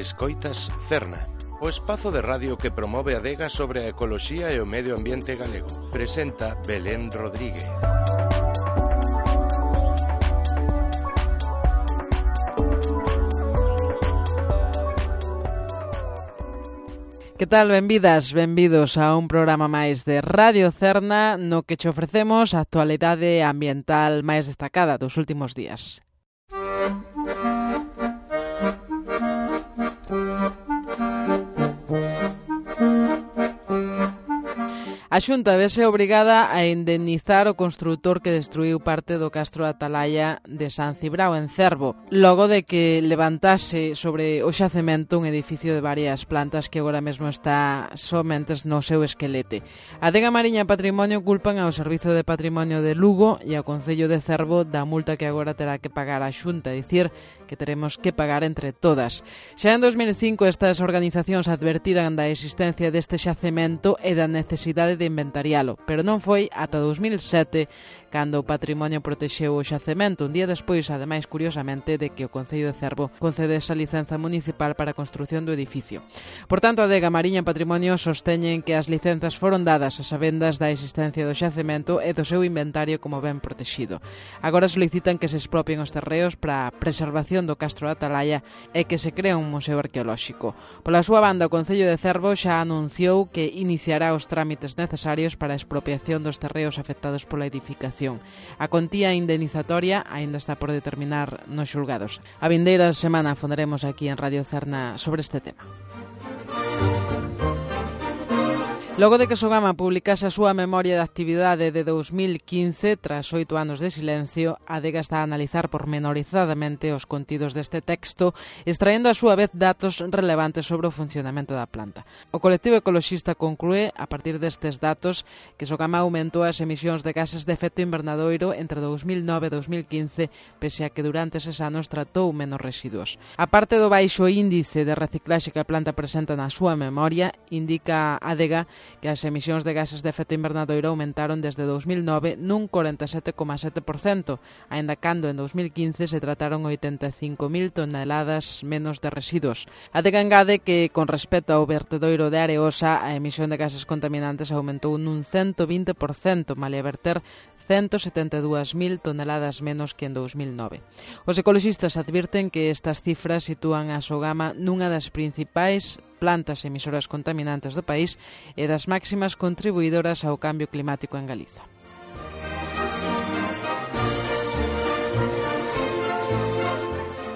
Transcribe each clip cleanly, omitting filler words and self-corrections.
Escoitas Cerna, o espazo de radio que promove a adega sobre a ecoloxía e o medio ambiente galego. Presenta Belén Rodríguez. Que tal? Benvidas, benvidos a un programa máis de Radio Cerna no que che ofrecemos a actualidade ambiental máis destacada dos últimos días. A Xunta vese obrigada a indemnizar o construtor que destruiu parte do castro Atalaya de San Cibrao en Cervo, logo de que levantase sobre o xacemento un edificio de varias plantas que agora mesmo está somente no seu esquelete. A Adega Mariña e Patrimonio culpan ao Servizo de Patrimonio de Lugo e ao Concello de Cervo da multa que agora terá que pagar a Xunta, dicir que teremos que pagar entre todas. Xa en 2005 estas organizacións advertiran da existencia deste xacemento e da necesidade de inventarialo, pero non foi ata 2007 cando o Patrimonio protexeu o xacemento, un día despois, ademais, curiosamente, de que o Concello de Cervo concedese a licenza municipal para a construción do edificio. Por tanto, a Adega Mariña e Patrimonio sosteñen que as licenzas foron dadas a sabendas da existencia do xacemento e do seu inventario como ben protexido. Agora solicitan que se expropien os terreos para a preservación do castro de Atalaya e que se crea un museo arqueolóxico. Pola súa banda, o Concello de Cervo xa anunciou que iniciará os trámites necesarios para a expropiación dos terreos afectados pola edificación. A contía indemnizatoria aínda está por determinar nos xulgados. A vindeira semana fonderemos aquí en Radio Cerna sobre este tema. Logo de que Sogama publicase a súa memoria de actividade de 2015, tras 8 anos de silencio, a Adega está a analizar pormenorizadamente os contidos deste texto, extraendo a súa vez datos relevantes sobre o funcionamento da planta. O colectivo ecoloxista conclúe, a partir destes datos, que Sogama aumentou as emisións de gases de efecto invernadoiro entre 2009 e 2015, pese a que durante eses anos tratou menos residuos. A parte do baixo índice de reciclaxe que a planta presenta na súa memoria, indica a Adega que as emisións de gases de efecto invernadoiro aumentaron desde 2009 nun 47,7%, aínda cando en 2015 se trataron 85.000 toneladas menos de residuos. A Adega engade que, con respecto ao vertedoiro de Areosa, a emisión de gases contaminantes aumentou nun 120%, malia verter 172.000 toneladas menos que en 2009. Os ecoloxistas advirten que estas cifras sitúan a Sogama nunha das principais plantas emisoras contaminantes do país e das máximas contribuidoras ao cambio climático en Galiza.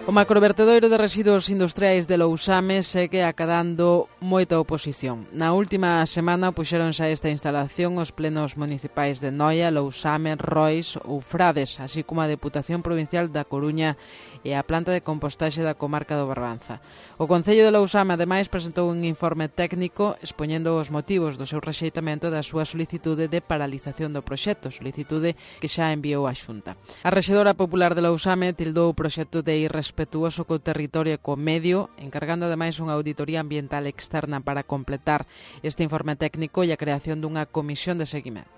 O macrovertedoiro de residuos industriais de Lousame segue acadando moita oposición. Na última semana puxéronse a esta instalación os plenos municipais de Noia, Lousame, Rois ou Frades, así como a Deputación Provincial da Coruña e a planta de compostaxe da comarca do Barbanza. O Concello de Lousame, ademais, presentou un informe técnico expoñendo os motivos do seu rexeitamento da súa solicitude de paralización do proxecto, solicitude que xa enviou á Xunta. A rexedora popular de Lousame tildou o proxecto de irrespetuoso co territorio e co medio, encargando ademais unha auditoría ambiental externa para completar este informe técnico e a creación dunha comisión de seguimento.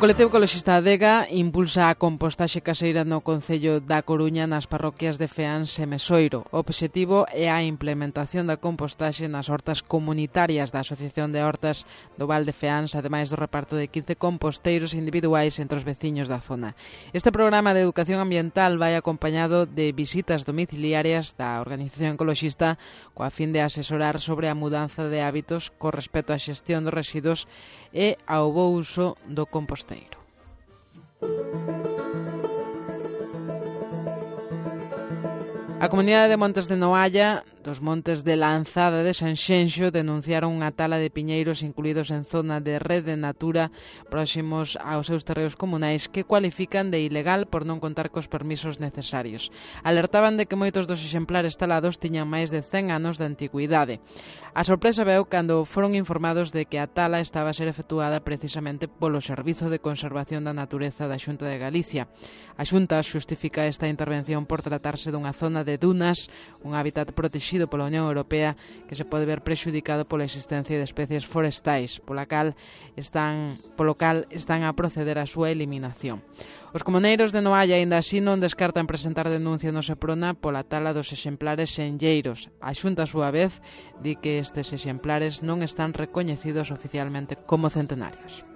O colectivo ecoloxista Adega impulsa a compostaxe caseira no Concello da Coruña nas parroquias de Feáns e Mesoiro. O obxectivo é a implementación da compostaxe nas hortas comunitarias da Asociación de Hortas do Val de Feáns, ademais do reparto de 15 composteiros individuais entre os veciños da zona. Este programa de educación ambiental vai acompañado de visitas domiciliarias da organización ecoloxista coa fin de asesorar sobre a mudanza de hábitos co respecto á xestión dos residuos e ao bo uso do composteiro. A comunidade de Montes de Noalla, dos Montes de Lanzada de Sanxenxo, denunciaron unha tala de piñeiros incluídos en zona de rede natura próximos aos seus terreos comunais que cualifican de ilegal por non contar cos permisos necesarios. Alertaban de que moitos dos exemplares talados tiñan máis de 100 anos de antigüidade. A sorpresa veu cando foron informados de que a tala estaba a ser efectuada precisamente polo Servizo de Conservación da Natureza da Xunta de Galicia. A Xunta xustifica esta intervención por tratarse dunha zona de dunas, un hábitat protegido protegido pola Unión Europea que se pode ver prexudicado pola existencia de especies forestais, polo cal están a proceder á súa eliminación. Os comuneiros de Noalla aínda así non descartan presentar denuncia no Seprona pola tala dos exemplares senlleiros. A Xunta, a súa vez, di que estes exemplares non están recoñecidos oficialmente como centenarios.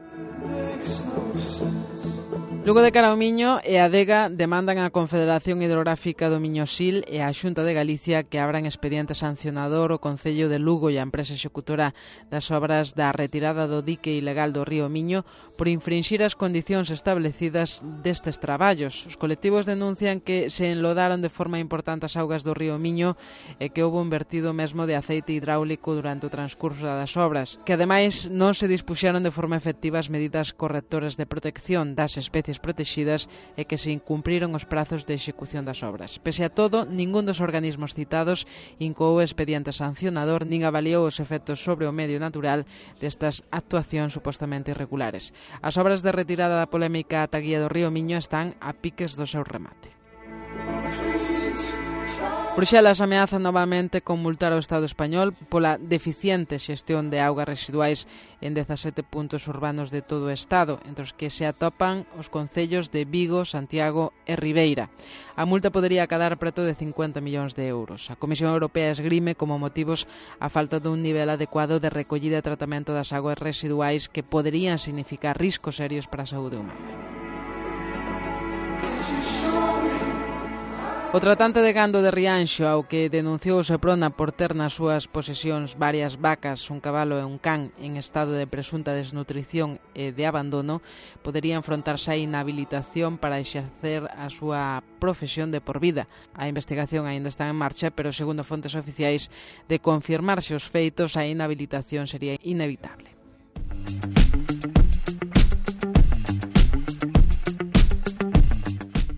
Lugo de cara ao Miño e a Adega demandan á Confederación Hidrográfica do Miño-Sil e á Xunta de Galicia que abran expediente sancionador o Concello de Lugo e a empresa executora das obras da retirada do dique ilegal do río Miño por infringir as condicións establecidas destes traballos. Os colectivos denuncian que se enlodaron de forma importante as augas do río Miño e que houve un vertido mesmo de aceite hidráulico durante o transcurso das obras, que ademais non se dispuxeron de forma efectiva as medidas correctoras de protección das especies protegidas e que se incumpriron os prazos de execución das obras. Pese a todo, ningún dos organismos citados incoou expediente sancionador nin avaliou os efectos sobre o medio natural destas actuacións supostamente irregulares. As obras de retirada da polémica ataguía do río Miño están a piques do seu remate. Bruxelas ameaza novamente con multar ao Estado español pola deficiente xestión de augas residuais en 17 puntos urbanos de todo o Estado, entre os que se atopan os concellos de Vigo, Santiago e Ribeira. A multa podería acadar preto de 50 millóns de euros. A Comisión Europea esgrime como motivos a falta dun nivel adecuado de recollida e tratamento das augas residuais que poderían significar riscos serios para a saúde humana. O tratante de gando de Rianxo, ao que denunciou o Seprona por ter nas súas posesións varias vacas, un cabalo e un can en estado de presunta desnutrición e de abandono, podería enfrontarse á inhabilitación para exercer a súa profesión de por vida. A investigación aínda está en marcha, pero segundo fontes oficiais, de confirmarse os feitos, a inhabilitación sería inevitable.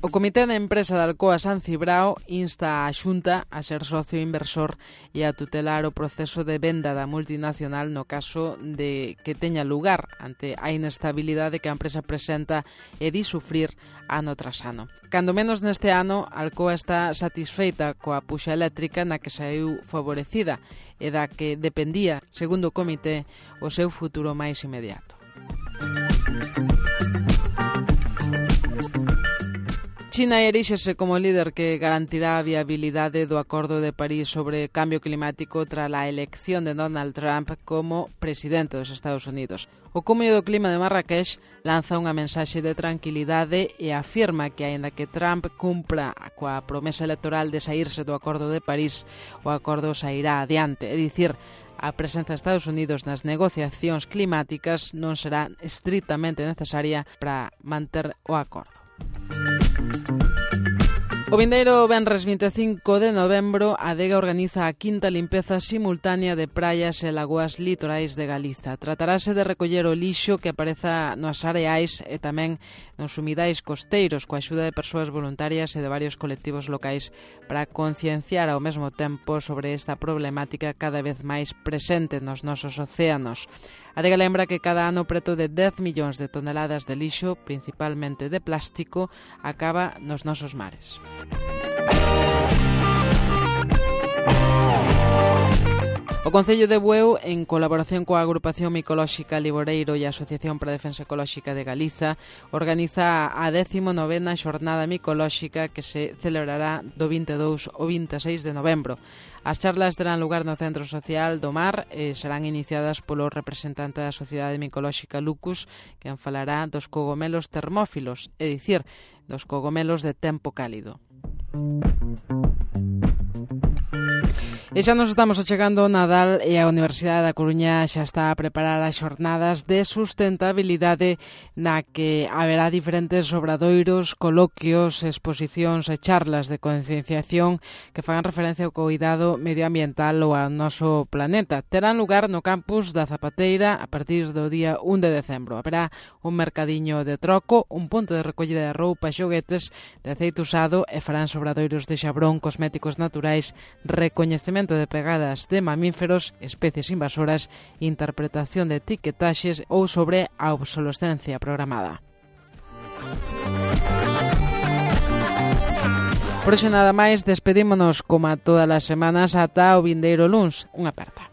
O Comité de Empresa de Alcoa San Cibrao insta a Xunta a ser socio inversor e a tutelar o proceso de venda da multinacional no caso de que teña lugar ante a inestabilidade que a empresa presenta e di sufrir ano tras ano. Cando menos neste ano, Alcoa está satisfeita coa puxa eléctrica na que saiu favorecida e da que dependía, segundo o Comité, o seu futuro máis inmediato. China eríxese como líder que garantirá a viabilidade do Acordo de París sobre cambio climático tras a elección de Donald Trump como presidente dos Estados Unidos. O Cumio do Clima de Marrakech lanza unha mensaxe de tranquilidade e afirma que, aínda que Trump cumpra coa promesa electoral de saírse do Acordo de París, o acordo sairá adiante, é dicir, a presenza de Estados Unidos nas negociacións climáticas non será estritamente necesaria para manter o acordo. O vindeiro venres 25 de novembro, a Adega organiza a quinta limpeza simultánea de praias e lagoas litorais de Galiza. Tratarase de recoller o lixo que apareza nos areais e tamén nos humidais costeiros, coa axuda de persoas voluntarias e de varios colectivos locais para concienciar ao mesmo tempo sobre esta problemática cada vez máis presente nos nosos océanos. A Adega lembra que cada ano preto de 10 millóns de toneladas de lixo, principalmente de plástico, acaba nos nosos mares. O Concello de Bueu, en colaboración coa Agrupación Micolóxica Liboreiro e a Asociación para a Defensa Ecolóxica de Galiza, organiza a 19ª Xornada Micolóxica que se celebrará do 22 ao 26 de novembro. As charlas terán lugar no Centro Social do Mar e serán iniciadas polo representante da Sociedade Micolóxica Lucus, quen falará dos cogomelos termófilos, é dicir, dos cogomelos de tempo cálido. E xa nos estamos achegando ao Nadal e a Universidade da Coruña xa está a preparar as xornadas de sustentabilidade na que haberá diferentes obradoiros, coloquios, exposicións e charlas de concienciación que fagan referencia ao cuidado medioambiental ou ao noso planeta. Terán lugar no campus da Zapateira a partir do día 1 de decembro. Haberá un mercadiño de troco, un punto de recollida de roupa e xoguetes, de aceite usado e farán obradoiros de xabrón, cosméticos naturais, recoñecemento de pegadas de mamíferos, especies invasoras, interpretación de etiquetaxes ou sobre a obsolescencia programada. Por hoxe nada máis, despedímonos como a todas as semanas ata o vindeiro luns. Unha aperta.